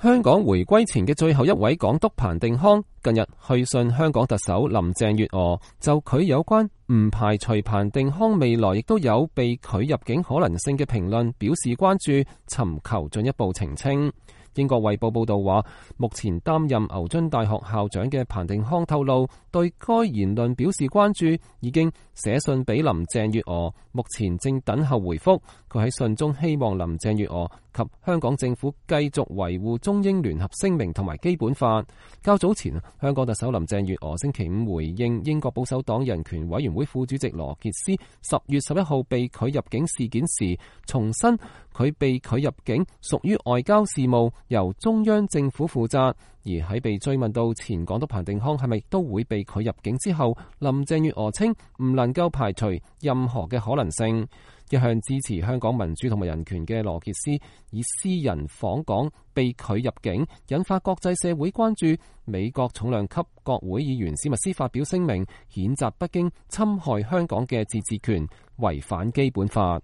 香港回歸前嘅最後一位港督彭定康近日去信香港特首林鄭月娥，就佢有關唔排除彭定康未來亦都有被拒入境可能性嘅評論表示關注，尋求進一步澄清。英國衛報報道話，目前擔任牛津大學校長嘅彭定康透露，對該言論表示關注，已經寫信俾林鄭月娥，目前正等候回覆。佢喺信中希望林鄭月娥及香港政府繼續維護中英聯合聲明同埋基本法。較早前，香港特首林鄭月娥星期五回應英國保守黨人權委員會副主席羅傑斯10月11號被拒入境事件時，重申佢被拒入境屬於外交事務，由中央政府負責。而喺被追問到前港督彭定康係咪都會被拒入境之後，林鄭月娥稱唔能夠排除任何嘅可能性。一向支持香港民主同埋人權嘅羅傑斯以私人訪港被拒入境，引發國際社會關注。美國重量級國會議員史密斯發表聲明，譴責北京侵害香港嘅自治權，違反基本法。